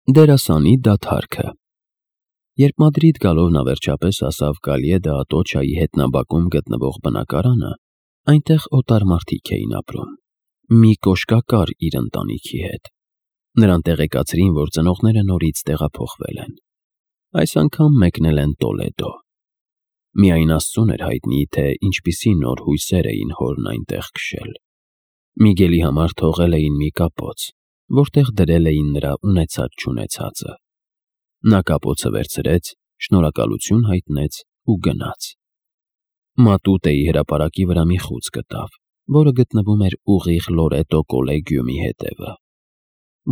Դերասանի դադարքը։ Երբ Մադրիդ գալով նա վերջապես հասավ Կալյե դը Ատոչայի հետնաբակում գտնվող բնակարանը, այնտեղ օտար մարդիկ էին ապրում։ Մի կոշկակար իր ընտանիքի հետ։ Նրան տեղեկացրին, որ ծնողները նորից տեղափոխվել են։ Այս անգամ մեկնել են Տոլեդո։ Միայն Աստծուն էր հայտնի, թե ինչպիսի նոր հույսեր էին հորն այնտեղ քշել։ Միգելի համար թողել էին մի կապոց, որտեղ դրել էին նրա ունեցած-չունեցածը։ Նա կապոցը վերցրեց, շնորհակալություն հայտնեց ու գնաց։ Մատուտեի հրապարակի վրա մի խուց գտավ, որը գտնվում էր ուղիղ Լորետո կոլեգիումի հետևը։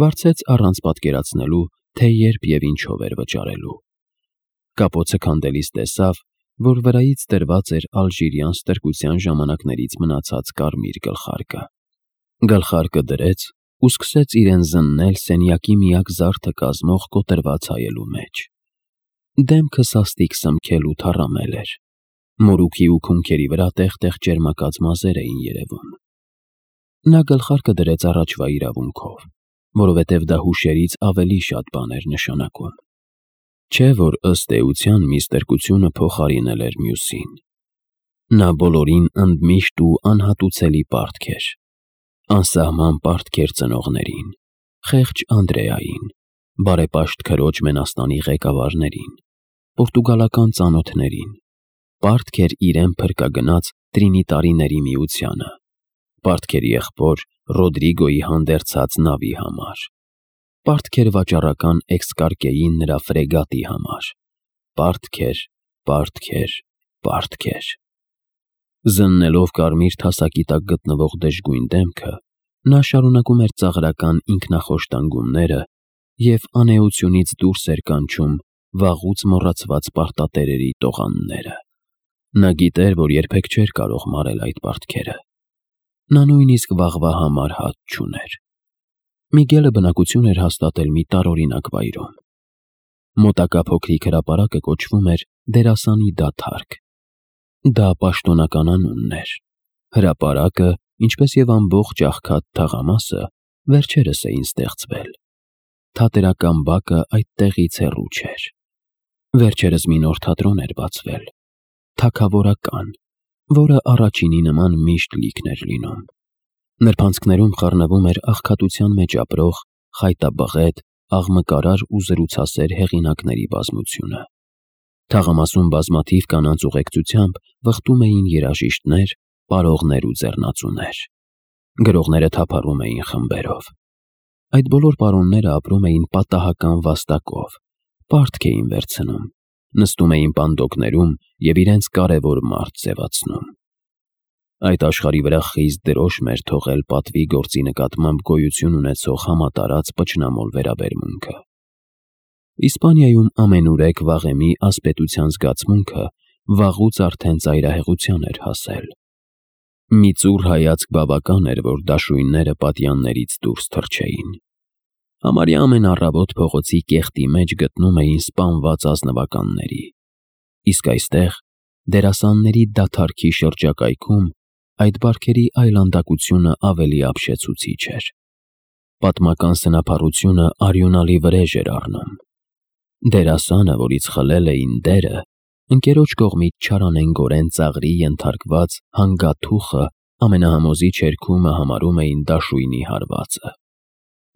Վարձեց առանց պատկերացնելու, թե երբ և ինչով էր վճարելու։ Կապոցը քանդելիս տեսավ, որ վրայից դրված էր ալժիրյան ստրկության ժամանակներից մնացած կարմիր գլխարկը։ Գլխարկը դրեց ու սկսեց իրեն զննել սենյակի միակ զարդը կազմող կոտրված հայելու մեջ։ Դեմքը սաստիկ սմքել ու թառամել էր։ Մորուքի ու քունքերի վրա տեղ-տեղ ճերմակած մազեր էին երևում։ Նա գլխարկը դրեց առաջվա իրավունքով, որովհետև դա հուշերից ավելի շատ բան էր նշանակում։ Չէ՞ որ ըստ էության մի ստրկությունը փոխարինել էր մյուսին։ Նա բոլորին ընդմիշտ ու անհատուցելի պարտք էր։ Անսահման պարտք էր ծնողներին, խեղճ Անդրեային, բարեպաշտ քրոջ Մենաստանի ղեկավարներին, պորտուգալական ծանոթներին, պարտք էր իրեն փրկագնաց Տրինիտարիների միությանը, պարտք էր եղբոր Ռոդրիգոյի հանդերձած նավի համար, պարտք էր վաճառական Էքսկարկեին նրա ֆրեգատի համար, պարտք էր։ Զննելով կարմիր թասակի տակ գտնվող դժգույն դեմքը, նա շարունակում էր ծաղրական ինքնախոշտանգումները և անէությունից դուրս էր կանչում վաղուց մոռացված պարտատերերի տողանները։ Նա գիտեր, որ երբեք չէր կարող մարել այդ պարտքերը։ Նա նույնիսկ վաղվա համար հաց չուներ։ Միգելը բնակություն էր հաստատել մի տարօրինակ վայրում։ Մոտակա փոքրիկ հրապարակը կոչվում էր Դերասանի դադարք։ Դա պաշտոնական անունն էր։ Հրապարակը, ինչպես և ամբողջ աղքատ թաղամասը, վերջերս էին ստեղծվել։ Թատերական բակը այդտեղից հեռու չէր։ Վերջերս մի նոր թատրոն էր բացվել, թագավորական, որը առաջինի նման միշտ լիքն էր լինում։ Նրբանցքներում խառնվում էր աղքատության մեջ ապրող, խայտաբղետ, աղմկարար ու զրուցասեր հեղինակների բազմությունը։ Թաղամասում բազմաթիվ կանանց ուղեկցությամբ վխտում էին երաժիշտներ, պարողներ ու ձեռնածուներ։ Գրողները թափառում էին խմբերով։ Այդ բոլոր պարոնները ապրում էին պատահական վաստակով, պարտք էին վերցնում, նստում էին պանդոկներում և իրենց կարևոր մարդ ձևացնում։ Այդ աշխարհի վրա խիստ դրոշմ էր թողել պատվի գործի նկատմամբ գոյություն ունեցող համատարած պճնամոլ վերաբերմունքը։ Իսպանիայում ամենուրեք վաղեմի ասպետության զգացմունքը վաղուց արդեն ծայրահեղության էր հասել։ Մի ծուռ հայացք բավական էր, որ դաշույնները պատյաններից դուրս թռչեին։ Համարյա ամեն առավոտ փողոցի կեղտի մեջ գտնում էին սպանված ազնվականների։ Իսկ այստեղ, դերասանների դադարքի շրջակայքում, այդ բարքերի այլանդակությունը ավելի ապշեցուցիչ էր։ Պատմական սնափառությունը արյունալի վրեժ էր առնում։ Դերասանը, որից խլել էին դերը, ընկերոջ կողմից չարանենգորեն ծաղրի ենթարկված հանգաթուխը ամենահամոզի չերքումը համարում էին դաշույնի հարվածը։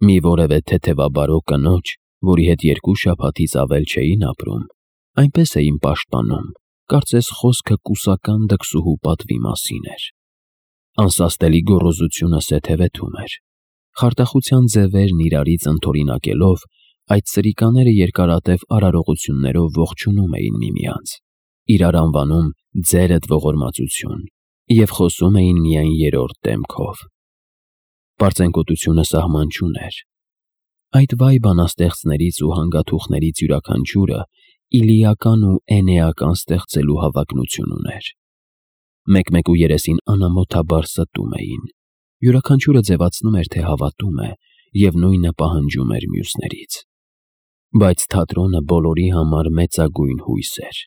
Մի որևէ թեթևաբարո կնոջ, որի հետ 2 շաբաթից ավել չէին ապրում, այնպես էին պաշտպանում, կարծես խոսքը կուսական դքսուհու պատվի մասին էր։ Անսաստելի գոռոզությունը սեթևեթում էր։ Խարդախության ձևերն իրարից ընդօրինակելով, այդ սրիկաները երկարատև արարողություններով ողջունում էին միմյանց, իրար անվանում ձերդ ողորմածություն և խոսում էին միայն երրորդ դեմքով։ Պարծենկոտությունը սահման չուներ։ Այդ վայ բանաստեղծներից ու հանգաթուխներից յուրաքանչյուրը իլիական ու էնեական ստեղծելու հավակնություն ուներ։ Մեկ-մեկու երեսին անամոթաբար ստում էին։ Յուրաքանչյուրը ձևացնում էր, թե հավատում է, և նույնը պահանջում էր մյուսներից։ Բայց թատրոնը բոլորի համար մեծագույն հույս էր,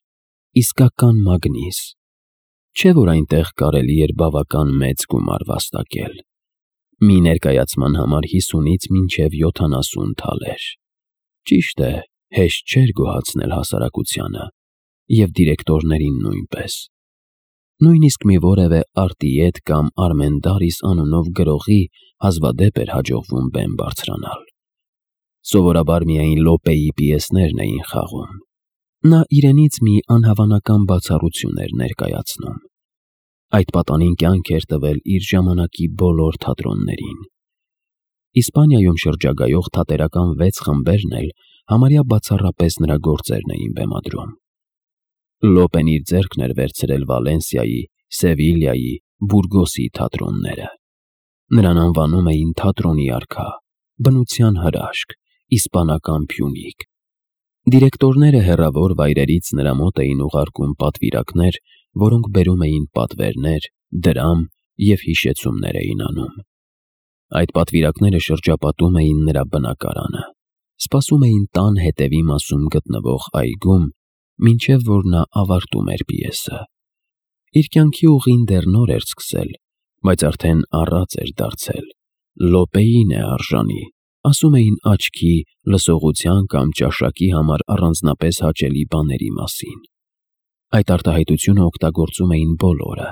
իսկական մագնիս։ Չէ՞ որ այնտեղ կարելի էր բավական մեծ գումար վաստակել։ Մի ներկայացման համար 50-ից մինչև 70 թալեր։ Ճիշտ է, հեշտ չէր գոհացնել հասարակությանը և դիրեկտորներին նույնպես։ Նույնիսկ մի որևէ արտիետ կամ Արմենդարիս անունով գրողի հազվադեպ էր հաջողվում բեմ բարձրանալ։ Սովորաբար միայն Լոպեի պիեսներն էին խաղում։ Նա իրենից մի անհավանական բացառություն էր ներկայացնում։ Այդ պատանին կյանք էր տվել իր ժամանակի բոլոր թատրոններին։ Իսպանիայում շրջագայող թատերական 6 խմբերն էլ համարյա բացառապես նրա գործերն էին բեմադրում։ Լոպեն իր ձեռքն էր վերցրել Վալենսիայի, Սևիլյայի, Բուրգոսի թատրոնները։ Նրան անվանում էին թատրոնի արքա, բնության հրաշք, իսպանական Փյունիկ։ Դիրեկտորները հեռավոր վայրերից նրա մոտ էին ուղարկում պատվիրակներ, որոնք բերում էին պատվերներ, դրամ և հիշեցումներ էին անում։ Այդ պատվիրակները շրջապատում էին նրա բնակարանը, սպասում էին տան հետևի մասում գտնվող այգում, մինչև որ նա ավարտում էր պիեսը։ Իր կյանքի ուղին դեռ նոր էր սկսել, բայց արդեն առած էր դարձել։ Լոպեին է արժանի, ասում էին աչքի, լսողության կամ ճաշակի համար առանձնապես հաճելի բաների մասին։ Այդ արտահայտությունը օգտագործում էին բոլորը,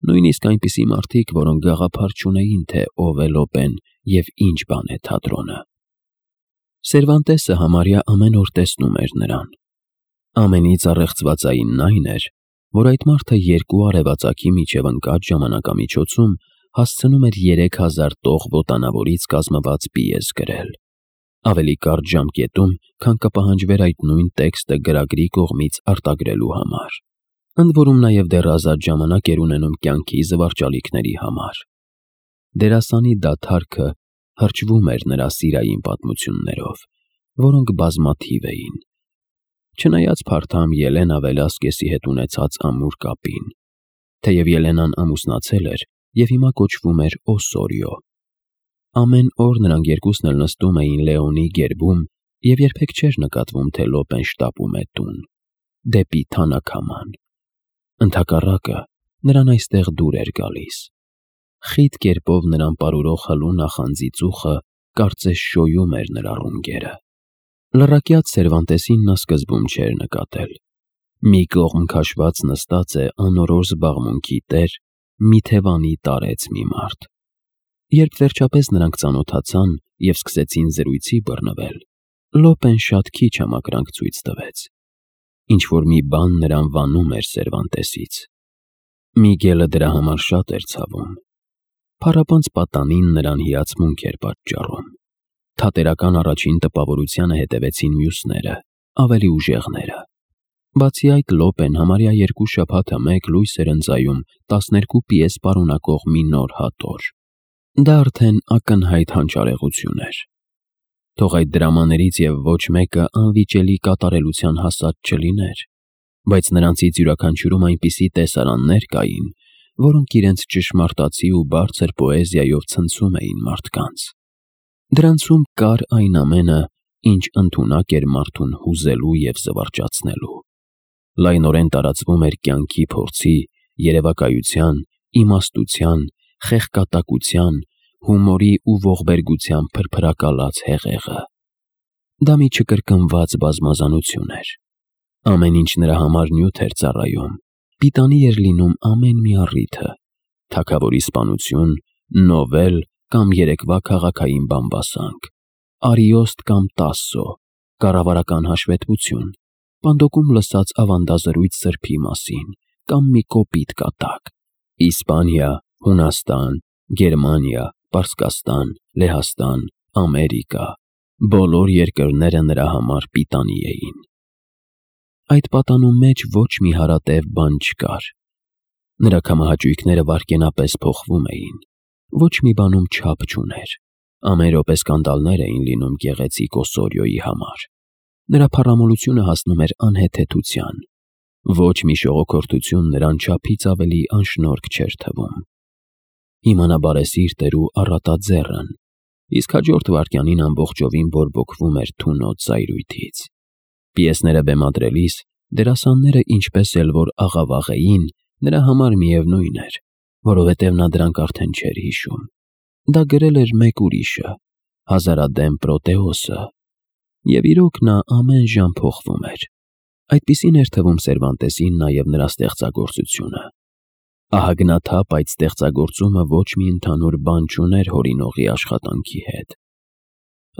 նույնիսկ այնպիսի մարդիկ, որոնք գաղափար չունեին, թե ով է Լոպեն և ինչ բան է թատրոնը։ Սերվանտեսը համարյա ամեն օր տեսնում էր նրան։ Ամենից առեղծվածայինն այն էր, որ այդ մարդը 2 արևածագի միջև ընկած ժամանակամիջոցում հասցնում էր 3000 տող ոտանավորից կազմված պիես գրել, ավելի կարճ ժամկետում, քան կպահանջվեր այդ նույն տեքստը գրագրի կողմից արտագրելու համար։ Ընդ որում նաև դեռ ազատ ժամանակ էր ունենում կյանքի զվարճալիքների համար։ Դերասանի դադարքը հրճվում էր նրա սիրային պատմություններով, որոնք բազմաթիվ էին։ Չնայած փարթամ Ելենա Վելասկեսի հետ ունեցած ամուր կապին, թեև Ելենան ամուսնացել էր և հիմա կոչվում էր Օսորիո։ Ամեն օր նրանք երկուսն էլ նստում էին Լեոնի գերբում և երբեք չէր նկատվում, թե Լոպեն շտապում է տուն, դեպի թանաքաման։ Ընդհակառակը, նրան այստեղ դուր էր գալիս։ Խիտ կերպով նրան պարուրող հլու նախանձի ծուխը կարծես շոյում էր նրա ռունգերը։ Լռակյաց Սերվանտեսին նա սկզբում չէր նկատել։ Մի կողմ քաշված նստած է անորոշ զբաղմունքի տեր, մի թևանի տարեց մի մարդ։ Երբ վերջապես նրանք ծանոթացան և սկսեցին զրույցի բռնվել, Լոպեն շատ քիչ համակրանք ցույց տվեց։ Ինչ-որ մի բան նրան վանում էր Սերվանտեսից։ Միգելը դրա համար շատ էր ցավում։ Փառապանծ պատանին նրան հիացմունք էր պատճառում։ Թատերական առաջին տպավորությանը հետևեցին մյուսները, ավելի ուժեղները։ Բացի այդ, Լոպեն համարյա 2 շաբաթը մեկ լույս էր ընծայում 12 պիես պարունակող մի նոր հատոր։ Դա արդեն ակնհայտ հանճարեղություն էր։ Թող այդ դրամաներից և ոչ մեկը անվիճելի կատարելության հասած չլիներ, բայց նրանցից յուրաքանչյուրում այնպիսի տեսարաններ կային, որոնք իրենց ճշմարտացի ու բարձր պոեզիայով ցնցում էին մարդկանց։ Դրանցում կար այն ամենը, ինչ ընդունակ էր մարդուն հուզելու և զվարճացնելու։ Լայնորեն տարածվում էր կյանքի փորձի, երևակայության, իմաստության, խեղկատակության, հումորի ու ողբերգության փրփրակալած հեղեղը։ Դա մի չկրկնված բազմազանություն էր։ Ամեն ինչ նրա համար նյութ էր ծառայում, պիտանի էր լինում ամեն մի առիթը՝ թագավորի սպանություն, նովել կամ երեկվա քաղաքային բամբասանք, Արիոստ կամ Տասսո, կառավարական հաշվետվություն, պանդոկում լսած ավանդազրույց սրբի մասին կամ մի կոպիտ կատակ, Իսպանիա, Հունաստան, Գերմանիա, Պարսկաստան, Լեհաստան, Ամերիկա, բոլոր երկրները նրա համար պիտանի էին։ Այդ պատանու մեջ ոչ մի հարատև բան չկար։ Նրա կամահաճույքները վայրկենապես փոխվում էին, ոչ մի բանում չափ չուներ։ Ամեն րոպե սկանդալներ էին լինում գեղեցիկ Օսորիոյի համար։ Նրա փառամոլությունը հասնում էր անհեթեթության։ Ոչ մի շողոքորթություն նրան չափից ավելի անշնորհք չէր թվում։ Հիմա նա բարեսիրտ էր ու առատաձեռն, իսկ հաջորդ վայրկյանին ամբողջովին բորբոքվում էր թունոտ զայրույթից։ Պիեսները բեմադրելիս դերասանները ինչպես էլ որ աղավաղեին, նրա համար միևնույն էր, որովհետև նա դրանք արդեն չէր հիշում։ Դա գրել էր մեկ ուրիշը, Հազարադեմ Պրոտեոսը։ Եվ իրոք նա ամեն ժամ փոխվում էր։ Այդպիսին էր թվում Սերվանտեսին նաև նրա ստեղծագործությունը։ Ահագնաթափ այդ ստեղծագործումը ոչ մի ընդհանուր բան չուներ հորինողի աշխատանքի հետ։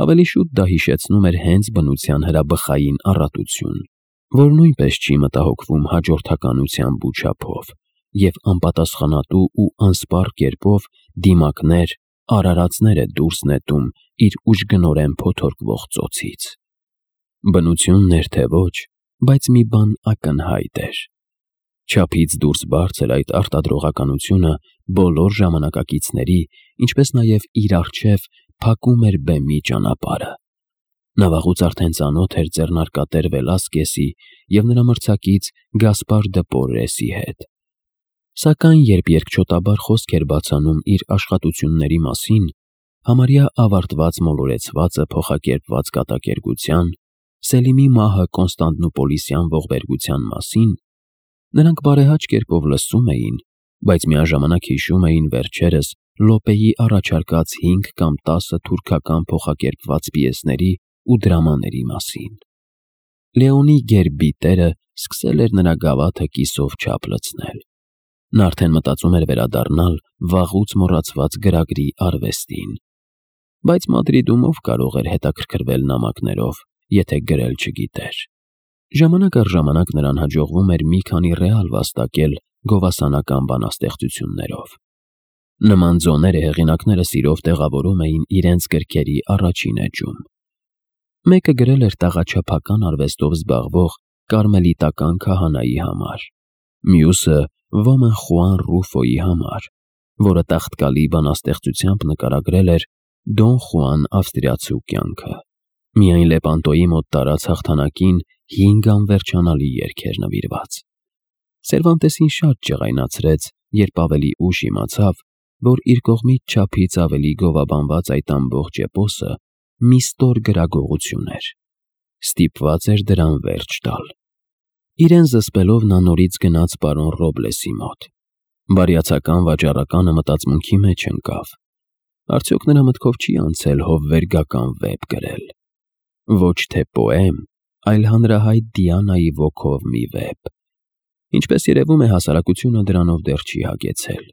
Ավելի շուտ դա հիշեցնում էր հենց բնության հրաբխային առատություն, որ նույնպես չի մտահոգվում հաջորդականությամբ ու չափով, և անպատասխանատու ու անսպառ կերպով դիմակներ, արարածներ է դուրս նետում իր ուժգնորեն փոթորկվող ծոցից։ Բնությունն էր թե ոչ, բայց մի բան ակնհայտ էր։ Չափից դուրս բարձր այդ արտադրողականությունը բոլոր ժամանակակիցների, ինչպես նաև իր առջև փակում էր բեմի ճանապարհը։ Նա վաղուց արդեն ծանոթ էր ձեռնարկատեր Վելասկեսի և նրա մրցակից Գասպար դը Պորրեսի հետ։ Սակայն երբ երկչոտաբար խոսք էր բացանում իր աշխատությունների մասին, համարյա ավարտված մոլորեցվածը փոխակերպված կատակերգության, Սելիմի մահը Կոնստանդնուպոլիսյան ողբերգության մասին, նրանք բարեհաճ կերպով լսում էին, բայց միաժամանակ հիշում էին վերջերս Լոպեի առաջարկած 5 կամ 10 թուրքական փոխակերպված պիեսների ու դրամաների մասին։ Լեոնի գերբի տերը սկսել էր նրա գավաթը կիսով չափ լցնել։ Նա արդեն մտածում էր վերադառնալ վաղուց մոռացված գրագրի արվեստին։ Բայց Մադրիդում ով կարող էր հետաքրքրվել նամակներով, եթե գրել չգիտեր։ Ժամանակ առ ժամանակ նրան հաջողվում էր մի քանի ռեալ վաստակել գովասանական բանաստեղծություններով։ Նման ձոները հեղինակները սիրով տեղավորում էին իրենց գրքերի առաջին էջում։ Մեկը գրել էր տաղաչափական արվեստով զբաղվող կարմելիտական քահանայի համար, մյուսը ոմն Խուան Ռուֆոյի համար, որը տաղտկալի բանաստեղծությամբ նկարագրել էր Դոն Խուան ավստրիացու կյանքը։ Միայն Լեպանտոյի մոտ տարած հաղթանակին 5 անվերջանալի երգ էր նվիրված։ Սերվանտեսին շատ ջղայնացրեց, երբ ավելի ուշ իմացավ, որ իր կողմից չափից ավելի գովաբանված այդ ամբողջ էպոսը մի ստոր գրագողություն էր։ Ստիպված էր դրան վերջ տալ։ Իրեն զսպելով նա նորից գնաց պարոն Ռոբլեսի մոտ։ Բարյացական վաճառականը մտածմունքի մեջ ընկավ։ Արդյոք նրա մտքով չի անցել հովվերգական վեպ գրել։ Ոչ թե պոեմ, այլ հանրահայտ Դիանայի ոգով մի վեպ։ Ինչպես երևում է, հասարակությունը դրանով դեռ չի հագեցել։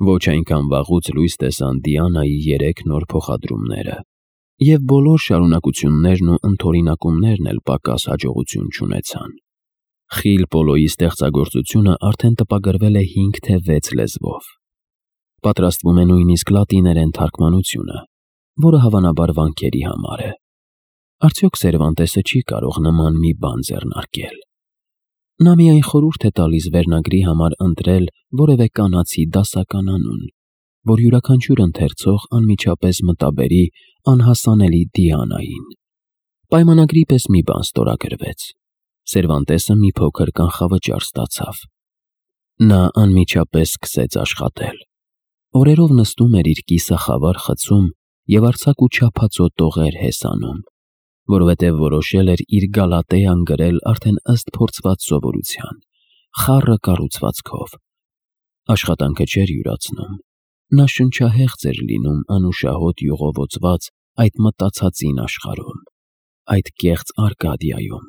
Ոչ այնքան վաղուց լույս տեսան Դիանայի 3 նոր փոխադրումները, և բոլոր շարունակություններն ու ընդօրինակումներն էլ պակաս հաջողություն չունեցան։ Խիլ Պոլոյի ստեղծագործությունը արդեն տպագրվել է 5 թե 6 լեզվով։ Պատրաստվում է նույնիսկ լատիներեն թարգմանությունը, որը հավանաբար վանքերի համար է։ Արդյոք Սերվանտեսը չի կարող նման մի բան ձեռնարկել։ Նա միայն խորհուրդ է տալիս վերնագրի համար ընտրել որևէ կանացի դասական անուն, որ յուրաքանչյուր ընթերցող անմիջապես մտաբերի անհասանելի Դիանային։ Պայմանագրի պես մի բան ստորագրվեց։ Սերվանտեսը մի փոքր կանխավճար ստացավ։ Նա անմիջապես սկսեց աշխատել։ Օրերով նստում էր իր կիսախավար խցում և արձակ ու չափածո տողեր հեսանում, որովհետև որոշել էր իր Գալատեան գրել արդեն ըստ փորձված սովորության, խառը կառուցվածքով։ Աշխատանքը չէր յուրացնում։ Նա շնչահեղձ էր լինում անուշահոտ յուղովոցված այդ մտածածին աշխարհում, այդ կեղծ Արկադիայում։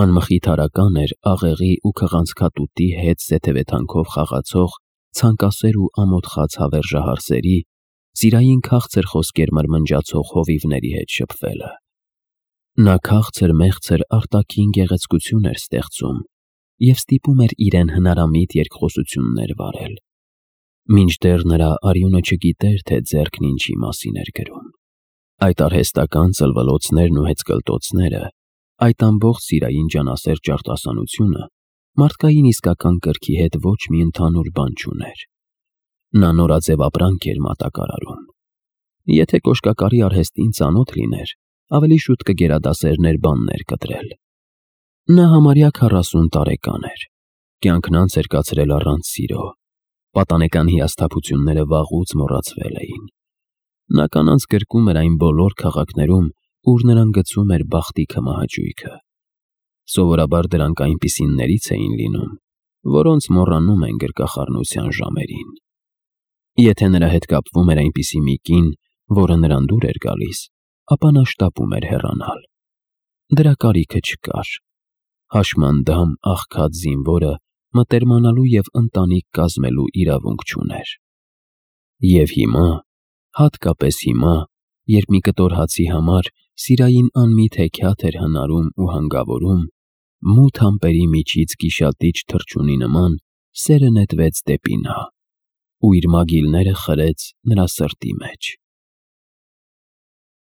Անմխիթարական էր աղեղի ու քղանցքատուտի հետ զեթևեթանքով խաղացող ցանկասեր ու ամոթխած հավերժահարսերի, ծիրային քաղցր խոսքեր մրմնջացող հովիվների հետ շփվելը։ Նա քաղցր-մեղցր արտաքին գեղեցկություն էր ստեղծում և ստիպում էր իրեն հնարամիտ երկխոսություններ վարել, մինչդեռ նրա արյունը չգիտեր, թե ձեռքն ինչի մասին էր գրում։ Այդ արհեստական ծլվլոցներն ու հեծկլտոցները, այդ ամբողջ սիրային ջանասեր ճարտասանությունը մարդկային իսկական կրքի հետ ոչ մի ընդհանուր բան չուներ։ Նա նորաձև ապրանք էր մատակարարում։ Եթե կոշկակարի արհեստին ծանոթ լիներ, ավելի շուտ կգերադասեր բաններ կտրել։ Նա համարյա 40 տարեկան էր։ Կյանքն անց էր կացրել առանց սիրո։ Պատանեկան հիասթափությունները վաղուց մոռացվել էին։ Նա կանանց գրկում էր այն բոլոր քաղաքներում, ուր նրան գցում էր բախտի քմահաճույքը։ Սովորաբար դրանք այնպիսիններից էին լինում, որոնց մոռանում են գրկախառնության ժամերին։ Եթե նրա հետ կապվում էր այնպիսի մի կին, որը նրան դուր էր գալիս, ապա նա շտապում էր հեռանալ։ Դրա կարիքը չկար։ Հաշմանդամ աղքատ զինվորը մտերմանալու և ընտանիք կազմելու իրավունք չուներ։ Եվ հիմա, հատկապես հիմա, երբ մի կտոր հացի համար Սիրային անմիտ հեքիաթ էր հնարում ու հանգավորում, մութ ամպերի միջից գիշատիչ թռչունի նման սերը նետվեց դեպի նա ու իր մագիլները խրեց նրա սրտի մեջ։